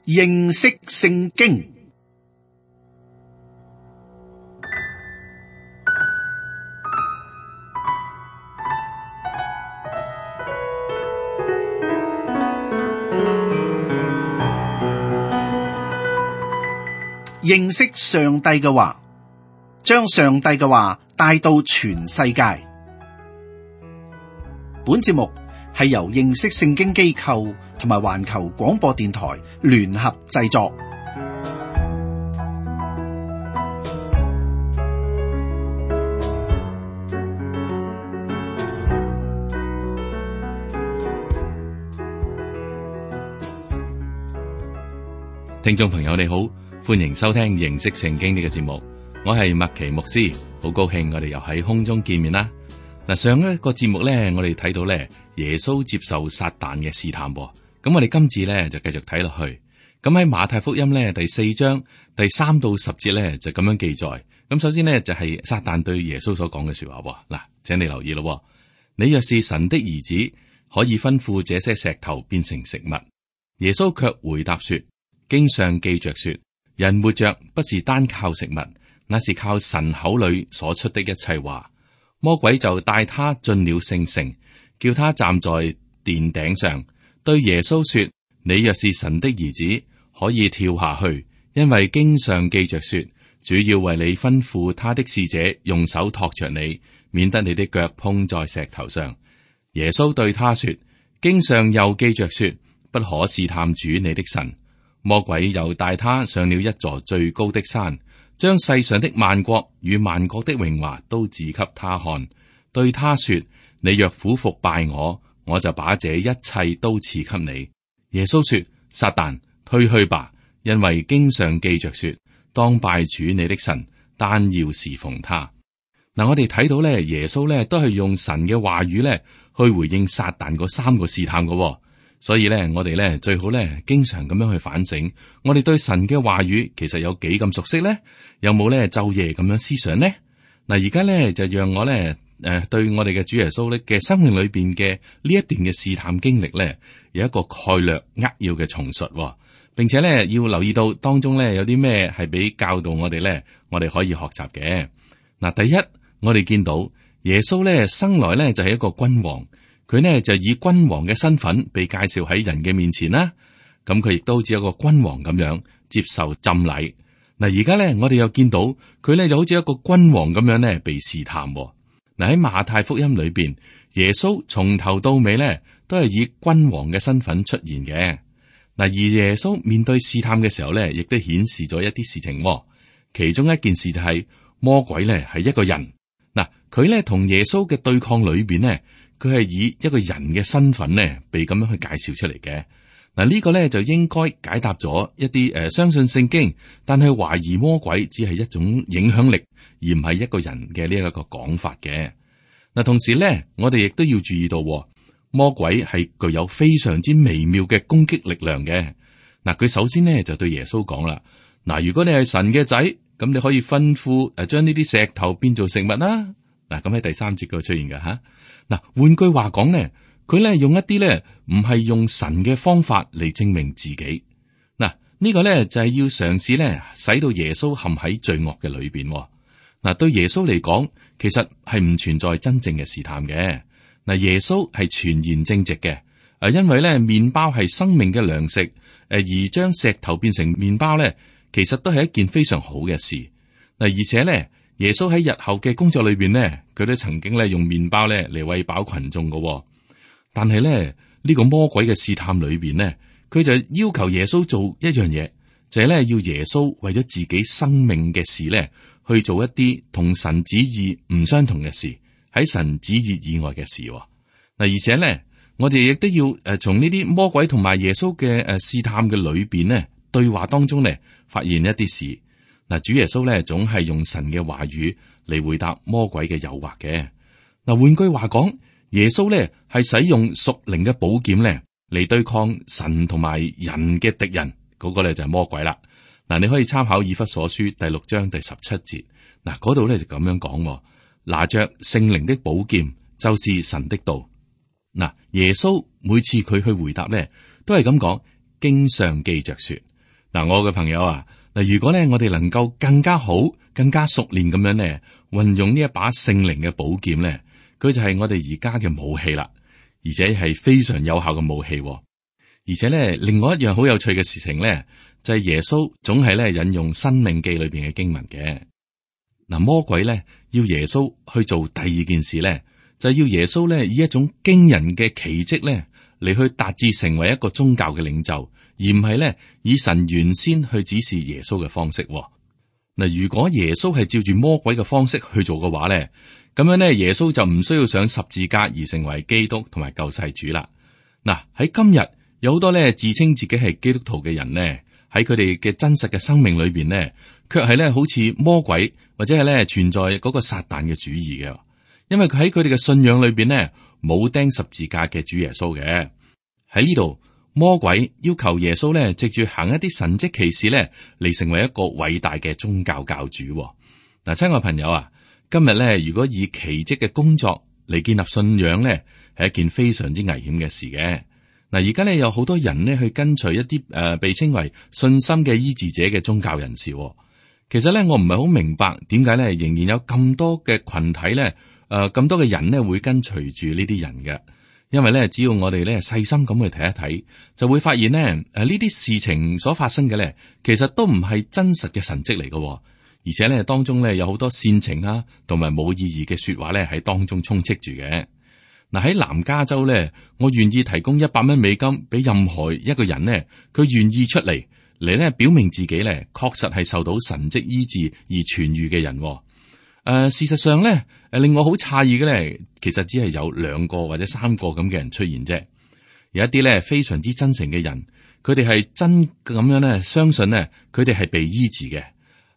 認識聖經。認識上帝嘅話，將上帝嘅話帶到全世界。本節目係由認識聖經機構同埋環球廣播電台聯合製作。聽眾朋友你好，歡迎收聽認識聖經呢個節目，我係麥奇牧師，好高興我哋又喺空中見面啦。嗱，上一個節目咧，我哋睇到咧耶穌接受撒旦嘅試探，咁我哋今次咧就繼續睇落去。咁喺馬太福音咧第4章第3到10節咧就咁樣記載。咁首先呢，就係撒旦對耶穌所講嘅說話。嗱，請你留意咯，你若是神的兒子，可以吩咐這些石頭變成食物。耶穌卻回答說，經上記着說，人活着不是單靠食物，那是靠神口裏所出的一切話。魔鬼就帶他進了聖城，叫他站在殿頂上，對耶穌說，你若是神的兒子，可以跳下去，因為經上記着說，主要為你吩咐他的使者用手托着你，免得你的腳碰在石頭上。耶穌對他說，經上又記着說，不可試探主你的神。魔鬼又帶他上了一座最高的山，將世上的萬國與萬國的榮華都指給他看，對他說，你若俯伏拜我，我就把這一切都賜給你。耶穌說，撒旦，退去吧，因為經上記着說，當拜主你的神，單要侍奉他。嗱，我哋睇到咧，耶穌咧都係用神嘅話語咧去回應撒旦嗰3個試探嘅。所以咧，我哋咧最好咧，經常咁樣去反省，我哋對神嘅話語其實有幾咁熟悉咧？有冇咧晝夜咁樣思想呢？嗱，而家咧就讓我咧對我哋嘅主耶穌咧嘅生命裏邊嘅呢一段嘅試探經歷咧，有一個概略扼要嘅重述，並且咧要留意到當中咧有啲咩係俾教導我哋咧，我哋可以學習嘅。嗱，第一，我哋見到耶穌咧生來咧就係一個君王。佢呢就以君王嘅身份被介紹喺人嘅面前啦，咁佢亦都好似一個君王咁樣接受浸禮。嗱，而家呢，我哋又見到佢呢就好似一個君王咁樣呢被試探。嗱，喺馬太福音裏邊，耶穌從頭到尾呢都係以君王嘅身份出現嘅。嗱，而耶穌面對試探嘅時候呢，亦都顯示咗一啲事情。其中一件事就係魔鬼呢係一個人。嗱，佢呢同耶穌嘅對抗裏邊呢，佢係以一個人嘅身份呢，被咁樣去介紹出嚟嘅。嗱，呢個呢就應該解答咗一啲相信聖經，但係懷疑魔鬼只係一種影響力，而唔係一個人嘅呢一個講法嘅。嗱，同時呢，我哋亦都要注意到，魔鬼係具有非常之微妙嘅攻擊力量嘅。嗱，佢首先呢就對耶穌講啦，嗱，如果你係神嘅仔，咁你可以吩咐將呢啲石頭變做食物啦。嗱，咁喺第3節嗰度出現嘅吓。嗱，換句話講咧，佢咧用一啲咧唔係用神嘅方法嚟證明自己。嗱，呢個咧就係要嘗試咧使到耶穌陷喺罪惡嘅裏邊。嗱，對耶穌嚟講，其實係唔存在真正嘅試探嘅。嗱，耶穌係全然正直嘅。因為咧麵包係生命嘅糧食，而將石頭變成麵包咧，其實都係一件非常好嘅事。嗱，而且咧。耶穌喺日後嘅工作裏邊呢，佢都曾經咧用麵包咧嚟餵飽群眾嘅。但係咧呢個魔鬼嘅試探裏邊呢，佢就要求耶穌做一樣嘢，就係咧要耶穌為咗自己生命嘅事咧去做一啲同神旨意唔相同嘅事，喺神旨意以外嘅事。嗱，而且咧我哋亦都要從呢啲魔鬼同埋耶穌嘅試探嘅裏邊呢，對話當中咧發現一啲事。嗱，主耶穌咧總係用神嘅話語嚟回答魔鬼嘅誘惑嘅。嗱，換句話講，耶穌咧係使用屬靈嘅寶劍咧嚟對抗神同埋人嘅敵人，嗰個咧就係魔鬼啦。嗱，你可以參考以弗所書第6章第17節。嗱，嗰度咧就咁樣講，拿着聖靈的寶劍，就是神的道。嗱，耶穌每次佢去回答咧，都係咁講，經上記着說。嗱，我嘅朋友啊，嗱，如果咧我哋能夠更加好、更加熟練咁樣咧，運用呢一把聖靈嘅寶劍咧，佢就係我哋而家嘅武器啦，而且係非常有效嘅武器。而且咧，另外一樣好有趣嘅事情咧，就係耶穌總係咧引用《申命記》裏邊嘅經文嘅。嗱，魔鬼咧要耶穌去做第二件事咧，就係要耶穌咧以一種驚人嘅奇蹟咧嚟去達至成為一個宗教嘅領袖。而唔係咧，以神原先去指示耶穌嘅方式。嗱，如果耶穌係照住魔鬼嘅方式去做嘅話咧，咁樣咧，耶穌就唔需要上十字架而成為基督同埋救世主啦。嗱，喺今日有好多咧自稱自己係基督徒嘅人咧，喺佢哋嘅真實嘅生命裏邊咧，卻係咧好似魔鬼或者係咧存在嗰個撒旦嘅主義嘅，因為佢喺佢哋嘅信仰裏邊咧冇釘十字架嘅主耶穌嘅。喺呢度。魔鬼要求耶穌咧，藉住行一啲神蹟奇事咧，嚟成為一個偉大嘅宗教教主。嗱，親愛朋友啊，今日咧，如果以奇蹟嘅工作嚟建立信仰咧，係一件非常之危險嘅事嘅。嗱，而家咧有好多人咧去跟隨一啲被稱為信心嘅醫治者嘅宗教人士。其實咧，我唔係好明白點解咧，仍然有咁多嘅群體咧，咁多嘅人咧會跟隨住呢啲人嘅。因為咧，只要我哋咧細心咁去睇一睇，就會發現咧，呢啲事情所發生嘅咧，其實都唔係真實嘅神蹟嚟嘅，而且咧當中咧有好多煽情啊，同埋冇意義嘅說話咧喺當中充斥住嘅。嗱，喺南加州咧，我願意提供$100美金俾任何一個人咧，佢願意出嚟咧表明自己咧確實係受到神蹟醫治而痊愈嘅人。事實上咧，令我好詫異嘅咧，其實只係有2個或者3個咁嘅人出現啫。有一啲咧非常之真誠嘅人，佢哋係真咁樣咧相信咧，佢哋係被醫治嘅。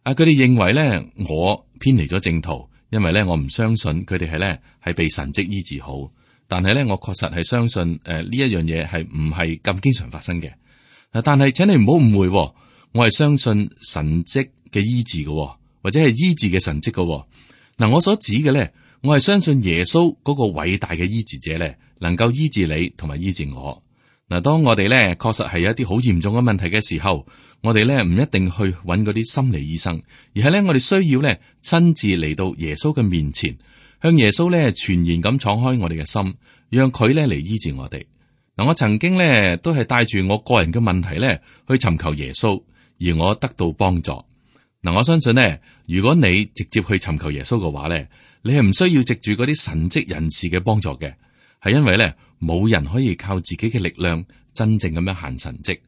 佢哋認為咧，我偏離咗正途，因為咧我唔相信佢哋係被神蹟醫治好。但係咧，我確實係相信呢一樣嘢係唔係咁經常發生嘅。但係請你唔好誤會，我係相信神蹟嘅醫治嘅。或者係醫治嘅神蹟嘅。嗱，我所指嘅咧，我係相信耶穌嗰個偉大嘅醫治者咧，能夠醫治你同埋醫治我。嗱，當我哋咧確實係有一啲好嚴重嘅問題嘅時候，我哋咧唔一定去揾嗰啲心理醫生，而係咧我哋需要咧親自嚟到耶穌嘅面前，向耶穌咧全然咁敞開我哋嘅心，讓佢咧嚟醫治我哋。嗱，我曾經咧都係帶住我個人嘅問題咧去尋求耶穌，而我得到幫助。嗱，我相信咧，如果你直接去尋求耶穌嘅話咧，你係唔需要藉住嗰啲神蹟人士嘅幫助嘅，係因為咧冇人可以靠自己嘅力量真正咁樣行神蹟，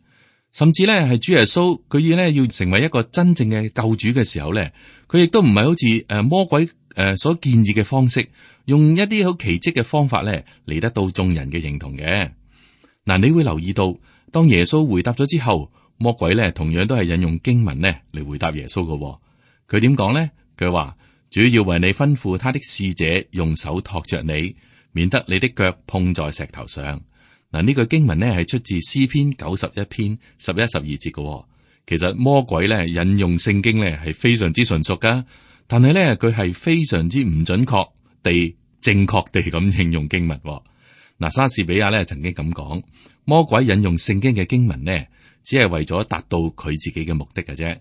甚至咧係主耶穌佢要成為一個真正嘅救主嘅時候咧，佢亦都唔係好似魔鬼所建議嘅方式，用一啲好奇蹟嘅方法咧嚟得到眾人嘅認同嘅。嗱，你會留意到，當耶穌回答咗之後，魔鬼咧同樣都係引用經文咧嚟回答耶穌嘅。佢點講咧？佢話，主要為你吩咐他的使者用手托着你，免得你的腳碰在石頭上。嗱，呢句經文咧係出自詩篇91篇11、12節嘅。其實魔鬼咧引用聖經咧係非常之純熟噶，但係咧佢係非常之唔準確地正確地咁應用經文。嗱，莎士比亞咧曾經咁講，魔鬼引用聖經嘅經文呢，只係為咗達到佢自己嘅目的嘅啫。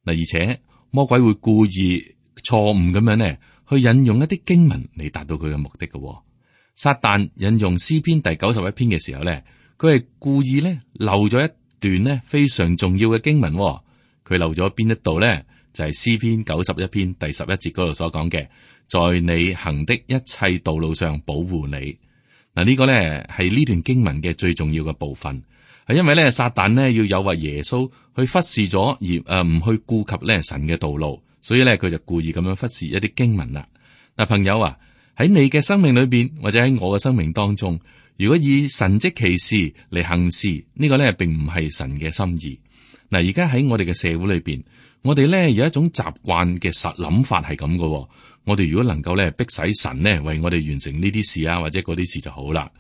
嗱，而且魔鬼會故意錯誤咁樣呢，去引用一啲經文嚟達到佢嘅目的嘅。撒旦引用詩篇第91篇嘅時候呢，佢係故意咧漏咗一段呢非常重要嘅經文。佢漏咗邊一度呢？就係詩篇91篇第11節嗰度所講嘅，在你行的一切道路上保護你。嗱，呢個咧係呢段經文嘅最重要嘅部分，係因為咧撒旦呢要誘惑耶穌去忽視咗而唔去顧及咧神嘅道路，所以咧佢就故意咁樣忽視一啲經文啦。嗱，朋友啊，喺你嘅生命裏邊或者喺我嘅生命當中，如果以神蹟奇事嚟行事，呢個咧並唔係神嘅心意。嗱，而家喺我哋嘅社會裏邊，我哋咧有一種習慣嘅諗法係咁嘅。我哋如果能夠咧逼使神呢為我哋完成呢啲事啊，或者嗰啲事就好啦。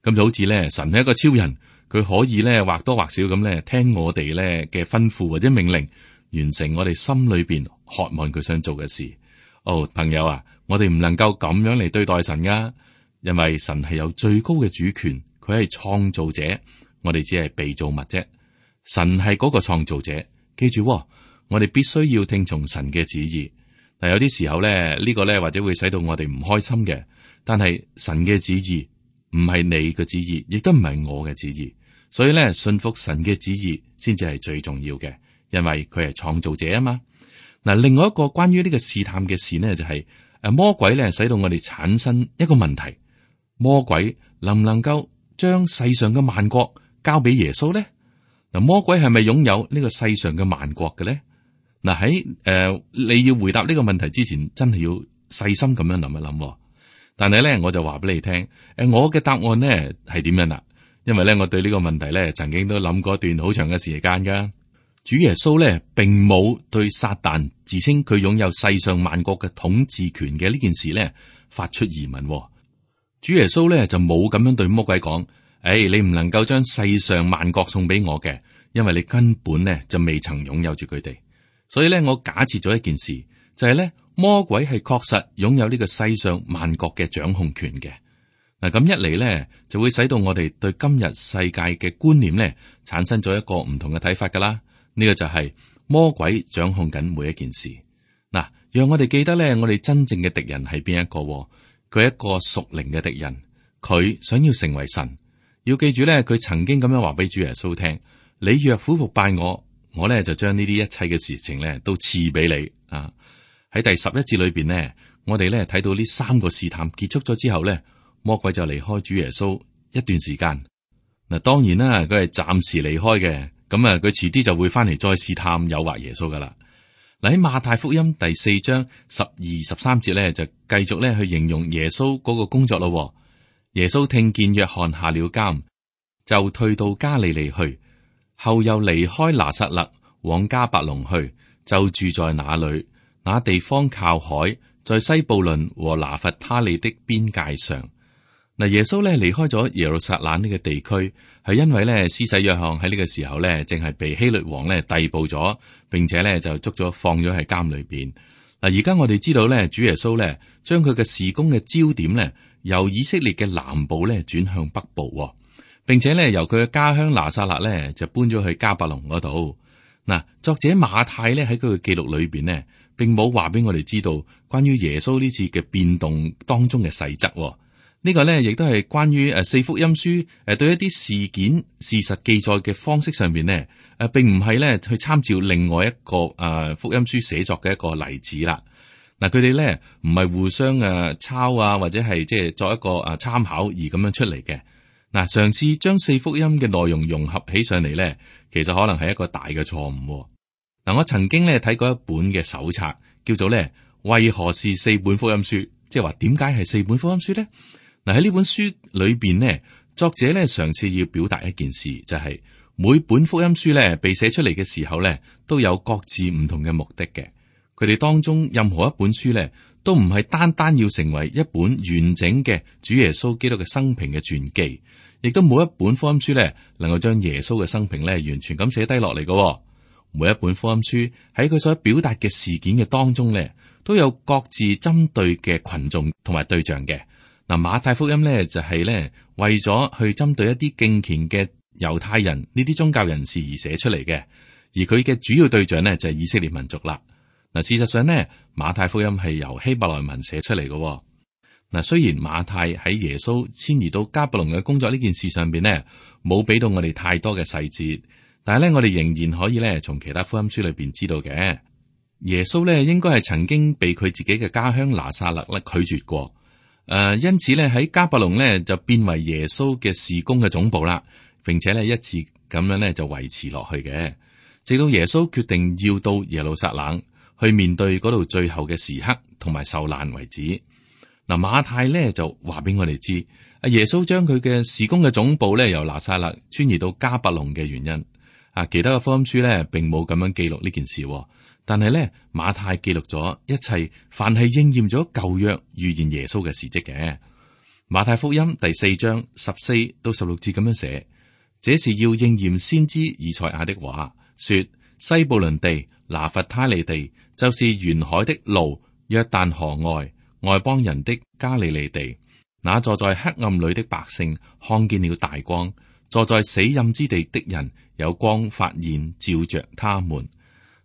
咁就好似咧神係一個超人，佢可以咧或多或少咁咧聽我哋咧嘅吩咐或者命令，完成我哋心裏邊渴望佢想做嘅事。哦，朋友啊，我哋唔能夠咁樣嚟對待神噶，因為神係有最高嘅主權，佢係創造者，我哋只係被造物啫。神係嗰個創造者，記住喎，我哋必須要聽從神嘅旨意。但有啲時候咧，呢個咧或者會使到我哋唔開心嘅。但係神嘅旨意唔係你嘅旨意，亦都唔係我嘅旨意。所以咧，信服神嘅旨意先至係最重要嘅，因為佢係創造者啊嘛。嗱，另外一個關於呢個試探嘅事呢，就係魔鬼咧使到我哋產生一個問題：魔鬼能唔能夠將世上嘅萬國交俾耶穌呢？嗱，魔鬼係咪擁有呢個世上嘅萬國嘅咧？嗱，喺你要回答呢個問題之前，真係要細心咁樣諗一諗。但係咧，我就話俾你聽，我嘅答案呢係點樣啦？因為咧，我對呢個問題咧，曾經都諗過一段好長嘅時間噶。主耶穌咧，並冇對撒旦自稱佢擁有世上萬國嘅統治權嘅呢件事咧，發出疑問。主耶穌咧就冇咁樣對魔鬼講：你唔能夠將世上萬國送俾我嘅，因為你根本咧就未曾擁有住佢哋。所以咧，我假設咗一件事，就係咧，魔鬼係確實擁有呢個世上萬國嘅掌控權嘅。嗱，咁一嚟咧，就會使到我哋對今日世界嘅觀念咧，產生咗一個唔同嘅睇法噶啦。呢個就係魔鬼掌控緊每一件事。嗱，讓我哋記得咧，我哋真正嘅敵人係邊一個？佢係一個屬靈嘅敵人，佢想要成為神。要記住咧，佢曾經咁樣話俾主耶穌聽：你若俯伏拜我，我咧就將呢啲一切嘅事情咧都賜俾你啊。喺第11節裏邊呢，我哋咧睇到呢3個試探結束咗之後咧，魔鬼就離開主耶穌一段時間。嗱，當然啦，佢係暫時離開嘅，咁佢遲啲就會翻嚟再試探誘惑耶穌噶啦。嗱，喺馬太福音第4章12、13節咧，就繼續咧去形容耶穌嗰個工作咯。耶穌聽見約翰下了監，就退到加利利去，後又離開拿撒勒往迦百農去，就住在那裏。那地方靠海，在西布倫和拿弗他利的邊界上。嗱，耶穌咧離開咗耶路撒冷呢個地區，係因為咧施洗約翰喺呢個時候咧，正係被希律王咧逮捕咗，並且咧就捉咗放咗喺監裏邊。嗱，而家我哋知道咧，主耶穌咧將佢嘅事工嘅焦點咧，由以色列嘅南部咧轉向北部，並且咧由佢嘅家鄉拿撒勒咧就搬咗去迦百農嗰度。嗱，作者馬太咧喺佢嘅記錄裏邊呢，並冇話俾我哋知道關於耶穌呢次嘅變動當中嘅細則。呢個咧亦都係關於4福音書對一啲事件事實記載嘅方式上邊呢，並唔係咧去參照另外一個福音書寫作嘅一個例子啦。嗱，佢哋咧唔係互相抄或者係即係作一個參考而咁樣出嚟嘅。嗱，嘗試將4福音嘅內容融合起上嚟咧，其實可能係一個大嘅錯誤。嗱，我曾經咧睇過一本嘅手冊，叫做咧為何是4本福音書，即係話點解係4本福音書咧？嗱，喺呢本書裏邊呢，作者咧嘗試要表達一件事，就係每本福音書咧被寫出嚟嘅時候咧，都有各自唔同嘅目的嘅。佢哋當中任何一本書咧，都唔係單單要成為一本完整嘅主耶穌基督嘅生平嘅傳記，亦都冇一本福音書咧能夠將耶穌嘅生平咧完全咁寫低落嚟嘅。每一本福音書喺佢所表達嘅事件嘅當中咧，都有各自針對嘅群眾同埋對象嘅。嗱，馬太福音咧就係咧為咗去針對一啲敬虔嘅猶太人呢啲宗教人士而寫出嚟嘅，而佢嘅主要對象呢就係以色列民族啦。嗱，事實上呢，馬太福音係由希伯來文寫出嚟嘅。嗱，雖然馬太喺耶穌遷移到迦百農嘅工作呢件事上邊呢，冇俾到我哋太多嘅細節，但係咧我哋仍然可以咧從其他福音書裏邊知道嘅，耶穌咧應該係曾經被佢自己嘅家鄉拿撒勒咧拒絕過。因此咧喺迦百農咧就變為耶穌嘅事工嘅總部啦，並且咧一直咁樣咧就維持落去嘅，直到耶穌決定要到耶路撒冷去面對嗰度最後嘅時刻同埋受難為止。嗱，馬太咧就話俾我哋知，耶穌將佢嘅事工嘅總部咧由拿撒勒遷移到迦百農嘅原因。其他嘅福音書咧並冇咁樣記錄呢件事。但係咧，馬太記錄咗一切，凡係應驗咗舊約預言耶穌嘅事蹟嘅。馬太福音第4章14到16節咁樣寫：這是要應驗先知以賽亞的話，說西布倫地、拿弗他利地，就是沿海的路，約旦河外，外邦人的加利利地。那坐在黑暗裏的百姓看見了大光，坐在死蔭之地的人有光發現照着他們。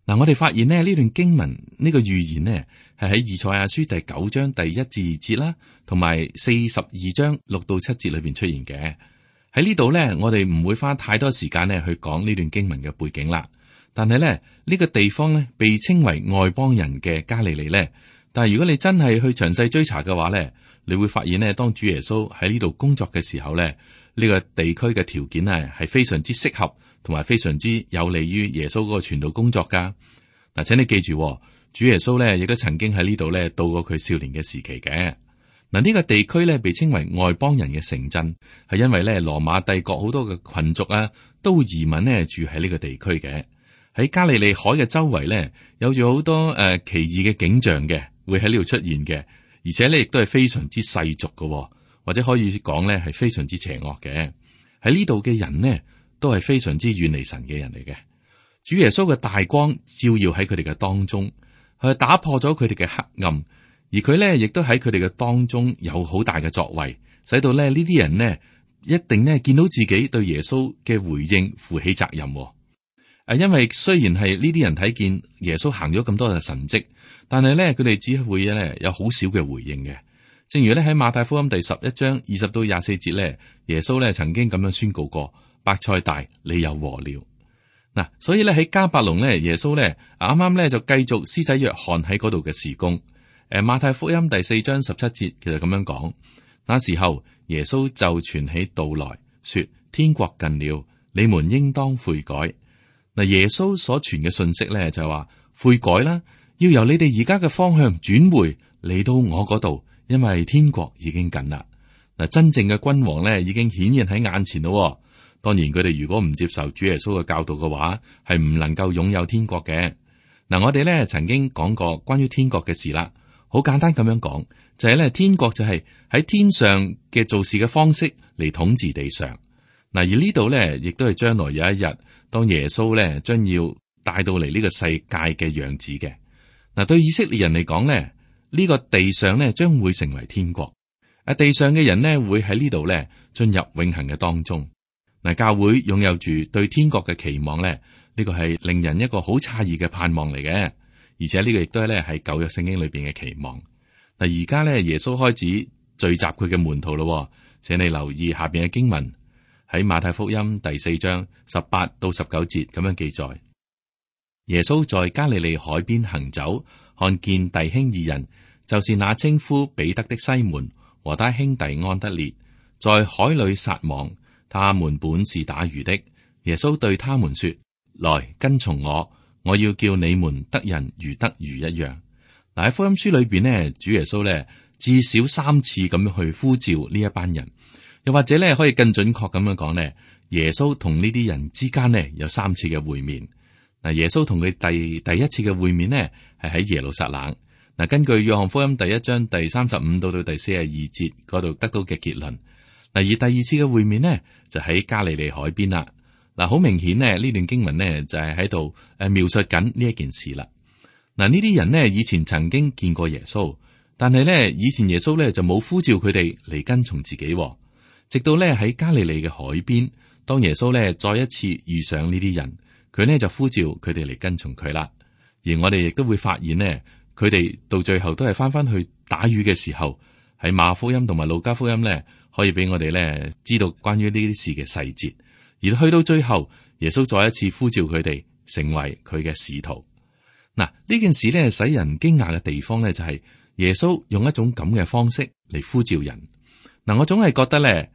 嗱，我哋發現呢段經文呢個預言呢，係喺以賽亞書第9章第1至2節啦，同埋42章6到7節裏邊出現嘅。喺呢度呢，我哋唔會花太多時間呢去講呢段經文嘅背景啦。但係呢，呢個地方呢，被稱為外邦人嘅加利利呢。但係如果你真係去詳細追查嘅話呢，你會發現呢，當主耶穌喺呢度工作嘅時候呢，呢個地區嘅條件係非常之適合，同埋非常之有利於耶穌嗰個傳道工作噶。嗱，請你記住，主耶穌呢亦都曾經喺呢度呢度過佢少年嘅時期嘅。嗱，呢個地區呢被稱為外邦人嘅城鎮，係因為呢羅馬帝國好多嘅群族啊，都會移民呢住喺呢個地區嘅。喺加利利海嘅周圍呢，有住好多奇異嘅景象嘅，會喺呢度出現嘅，而且呢亦都係非常之世俗嘅，或者可以講呢係非常之邪惡嘅。喺呢度嘅人呢，都係非常之遠離神嘅人嚟嘅。主耶穌嘅大光照耀喺佢哋嘅當中，佢打破咗佢哋嘅黑暗。而佢咧，亦都喺佢哋嘅當中有好大嘅作為，使到咧呢啲人呢一定呢見到自己對耶穌嘅回應負起責任。因為雖然係呢啲人睇見耶穌行咗咁多嘅神蹟，但係咧佢哋只會咧有好少嘅回應嘅。正如咧喺馬太福音第11章20到24節咧，耶穌咧曾經咁樣宣告過：伯賽大，你有禍了。嗱，所以咧喺迦百農咧，耶穌咧啱啱咧就繼續施洗約翰喺嗰度嘅事工。馬太福音第4章17節其實咁樣講，那時候耶穌就傳起道來說：天國近了，你們應當悔改。嗱，耶穌所傳嘅信息咧就係話悔改啦，要由你哋而家嘅方向轉回嚟到我嗰度，因為天國已經近啦。嗱，真正嘅君王咧已經顯現喺眼前咯。當然佢哋如果唔接受主耶穌嘅教導嘅話，係唔能夠擁有天國嘅。嗱，我哋咧曾經講過關於天國嘅事啦。好簡單咁樣講，就係咧天國就係喺天上嘅做事嘅方式嚟統治地上。嗱，而呢度咧亦都係將來有一日，當耶穌咧將要帶到嚟呢個世界嘅樣子嘅。嗱，對以色列人嚟講咧，呢個地上咧將會成為天國。地上嘅人呢會喺呢度咧進入永恆嘅當中。嗱，教會擁有住對天國嘅期望咧，呢個係令人一個好詫異嘅盼望嚟嘅。而且呢個亦都係咧係舊約聖經裏邊嘅期望。嗱，而家咧耶穌開始聚集佢嘅門徒咯，請你留意下邊嘅經文，喺馬太福音第4章18到19節咁樣記載：耶穌在加利利海邊行走，看見弟兄二人，就是那稱呼彼得的西門和他兄弟安德烈，在海裏撒網，他們本是打魚的。耶穌對他們說：來跟從我。我要叫你們得人如得魚一樣。嗱，喺福音書裏邊呢，主耶穌咧至少3次咁樣去呼召呢一班人，又或者咧可以更準確咁樣講呢，耶穌同呢啲人之間呢有3次嘅會面。嗱，耶穌同佢第一次嘅會面呢係喺耶路撒冷。嗱，根據約翰福音第1章第35到第42節嗰度得到嘅結論。嗱，而第二次嘅會面呢就喺加利利海邊啦。嗱，好明顯呢，呢段經文呢就係喺度描述緊呢一件事啦。嗱，呢啲人呢以前曾經見過耶穌，但係呢以前耶穌呢就冇呼召佢哋嚟跟從自己。直到呢喺加利利嘅海邊，當耶穌呢再一次遇上呢啲人，佢呢就呼召佢哋嚟跟從佢啦。而我哋亦都會發現呢，佢哋到最後都係翻去打魚嘅時候，喺馬可福音同埋路加福音呢，可以俾我哋呢知道關於呢啲事嘅細節。而去到最後，耶穌再一次呼召佢哋成為佢嘅使徒。嗱，呢件事咧使人驚訝嘅地方咧，就係耶穌用一種咁嘅方式嚟呼召人。嗱，我總係覺得咧，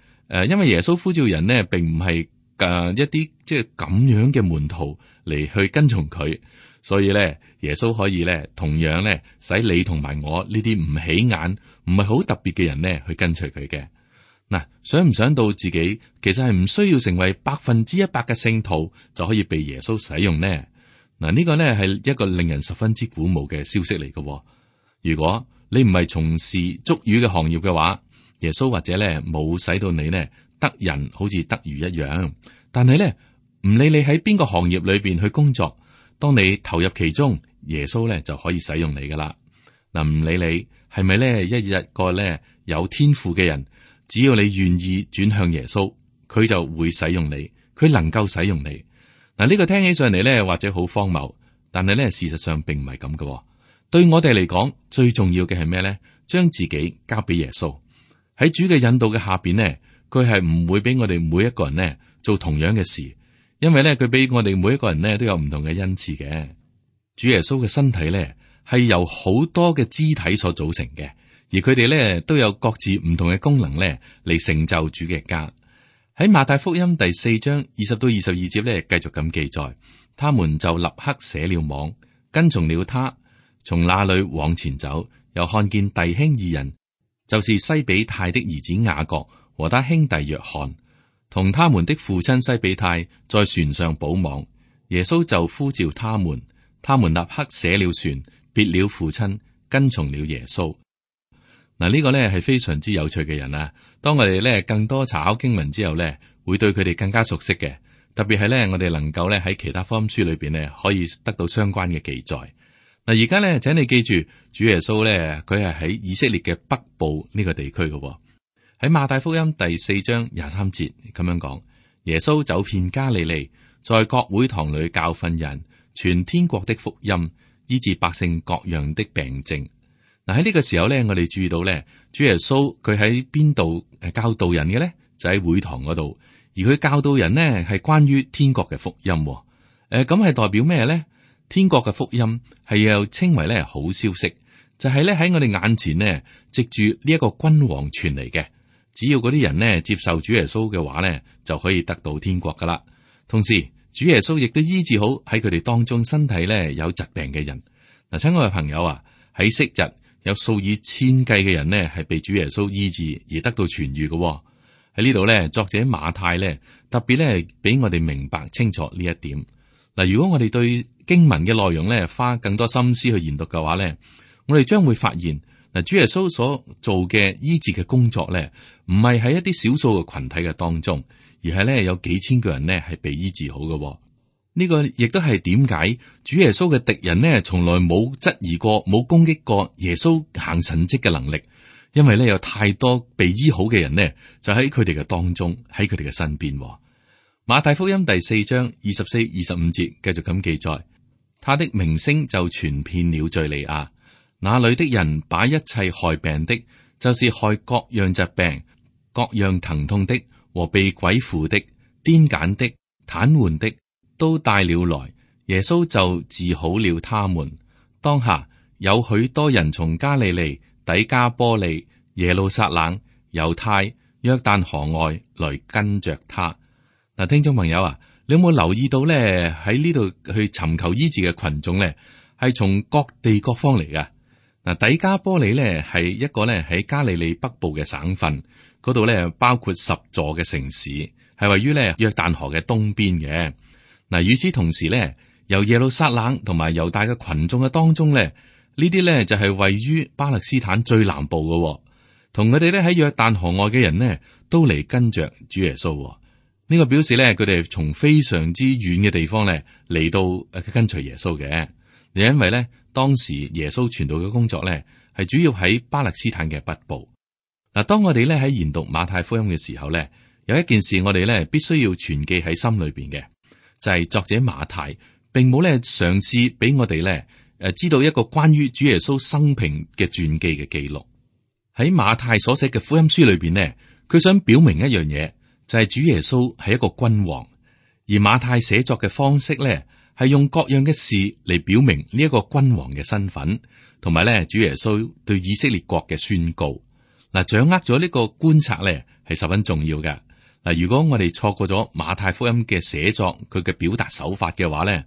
因為耶穌呼召人呢，並唔係一啲即係咁樣嘅門徒嚟去跟從佢，所以咧耶穌可以咧同樣咧使你同埋我呢啲唔起眼、唔係好特別嘅人咧去跟隨佢嘅。嗱，想唔想到自己其實係唔需要成為100%嘅聖徒就可以被耶穌使用呢？嗱，呢個呢係一個令人十分之鼓舞嘅消息嚟嘅。如果你唔係從事捉魚嘅行業嘅話，耶穌或者呢冇使到你呢得人好似得魚一樣。但係呢，唔理你喺邊個行業裏邊去工作，當你投入其中，耶穌呢就可以使用你噶啦。嗱，唔理你係咪呢一個呢有天賦嘅人。只要你願意轉向耶穌，佢就會使用你，佢能夠使用你。嗱，呢個聽起上嚟咧，或者好荒謬，但係咧，事實上並唔係咁嘅。對我哋嚟講，最重要嘅係咩咧？將自己交俾耶穌，喺主嘅引導嘅下邊呢，佢係唔會俾我哋每一個人呢做同樣嘅事，因為咧，佢俾我哋每一個人呢都有唔同嘅恩賜嘅。主耶穌嘅身體咧係由好多嘅肢體所組成嘅，而佢哋咧都有各自唔同嘅功能咧嚟成就主嘅家。喺馬太福音第4章20到22節咧，繼續咁記載，他們就立刻捨了網，跟從了他。從那裏往前走，又看見弟兄二人，就是西比泰的兒子雅各和他兄弟約翰，同他們的父親西比泰在船上補網。耶穌就呼召他們，他們立刻捨了船，別了父親，跟從了耶穌。嗱，呢個呢係非常之有趣嘅人啊！當我哋呢更多查考經文之後呢，會對佢哋更加熟悉嘅。特別係呢，我哋能夠呢喺其他福音書裏邊呢，可以得到相關嘅記載。嗱，而家呢，請你記住，主耶穌呢，佢係喺以色列嘅北部呢個地區嘅。喺馬太福音第4章23節咁樣講，耶穌走遍加利利，在各會堂裏教訓人，傳天國的福音，醫治百姓各樣的病症。嗱，喺呢個時候呢，我哋注意到呢，主耶穌佢喺邊度教導人嘅呢？就喺會堂嗰度，而佢教導人呢，係關於天國嘅福音。咁係代表咩呢？天國嘅福音係又稱為咧好消息，就係咧喺我哋眼前呢，藉住呢一個君王傳嚟嘅。只要嗰啲人呢接受主耶穌嘅話呢，就可以得到天國噶啦。同時，主耶穌亦都醫治好喺佢哋當中身體呢有疾病嘅人。嗱，親愛嘅朋友啊，喺昔日有數以千計嘅人呢係被主耶穌醫治而得到痊愈嘅。喺呢度呢，作者馬太呢特別呢俾我哋明白清楚呢一點。嗱，如果我哋對經文嘅內容咧，花更多心思去研讀嘅話咧，我哋將會發現嗱，主耶穌所做嘅醫治嘅工作咧，唔係喺一啲少數嘅群體嘅當中，而係咧有幾千個人咧係被醫治好嘅。呢個亦都係點解主耶穌嘅敵人呢，從來冇質疑過、冇攻擊過耶穌行神蹟嘅能力，因為咧有太多被醫好嘅人呢，就喺佢哋嘅當中，喺佢哋嘅身邊。馬太福音第4章24、25節繼續咁記載。他的名聲就傳遍了敘利亞，那裏的人把一切害病的，就是害各樣疾病、各樣疼痛的和被鬼附的、癲癇的、癱瘓的，都帶了來。耶穌就治好了他們。當下有許多人從加利利、底加波利、耶路撒冷、猶太、約旦河外來跟着他。嗱，聽眾朋友啊，你有冇留意到咧？喺呢度去尋求醫治嘅群眾咧，係從各地各方嚟噶。嗱，底加波利咧係一個咧喺加利利北部嘅省份，嗰度咧包括10座嘅城市，係位於咧約旦河嘅東邊嘅。嗱，與此同時咧，由耶路撒冷同埋猶大嘅群眾嘅當中咧，呢啲咧就係位於巴勒斯坦最南部嘅，同佢哋咧喺約旦河外嘅人呢，都嚟跟着主耶穌。呢個表示咧，佢哋從非常之遠嘅地方咧嚟到跟隨耶穌嘅。因為咧當時耶穌傳道嘅工作咧係主要喺巴勒斯坦嘅北部。嗱，當我哋咧喺研讀馬太福音嘅時候咧，有一件事我哋咧必須要存記喺心裏邊嘅，就係作者馬太並冇咧嘗試俾我哋咧知道一個關於主耶穌生平嘅傳記嘅記錄。喺馬太所寫嘅福音書裏邊呢，佢想表明一樣嘢。就係主耶穌係一個君王，而馬太寫作嘅方式咧，係用各樣嘅事嚟表明呢一個君王嘅身份，同埋咧主耶穌對以色列國嘅宣告。嗱，掌握咗呢個觀察咧，係十分重要嘅。嗱，如果我哋錯過咗馬太福音嘅寫作，佢嘅表達手法嘅話咧，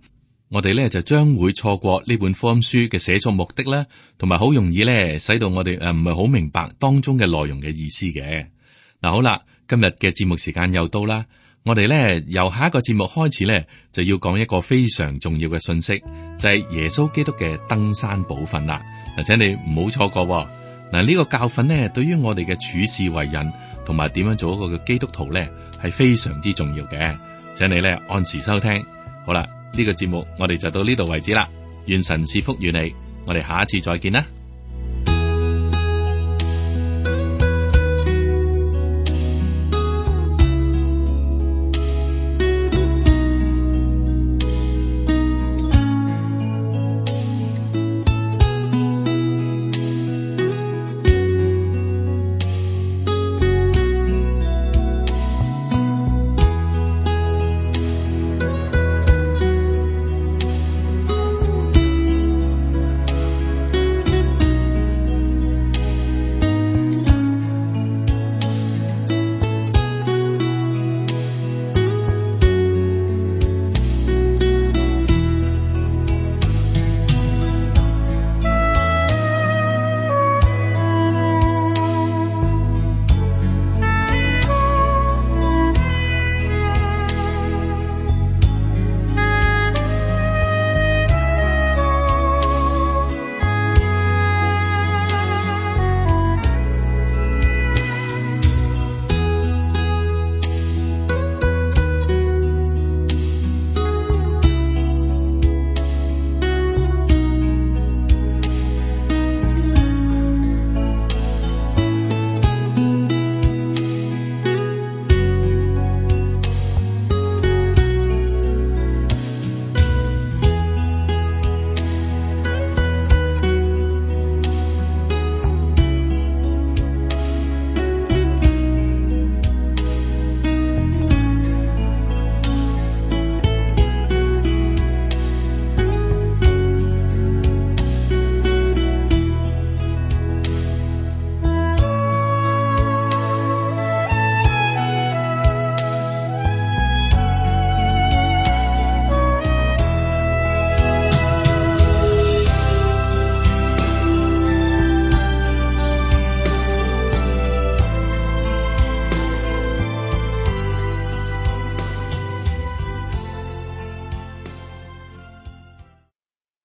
我哋咧就將會錯過呢本福音書嘅寫作目的啦，同埋好容易咧使到我哋唔係好明白當中嘅內容嘅意思嘅。嗱，好啦。今日嘅節目時間又到啦，我哋咧由下一個節目開始咧，就要講一個非常重要嘅信息，就係耶穌基督嘅登山寶訓啦。嗱，請你唔好錯過。嗱，呢個教訓咧，對於我哋嘅處事為人同埋點樣做一個嘅基督徒咧，係非常之重要嘅。請你咧按時收聽。好啦，呢個節目我哋就到呢度為止啦。願神賜福與你，我哋下一次再見啦。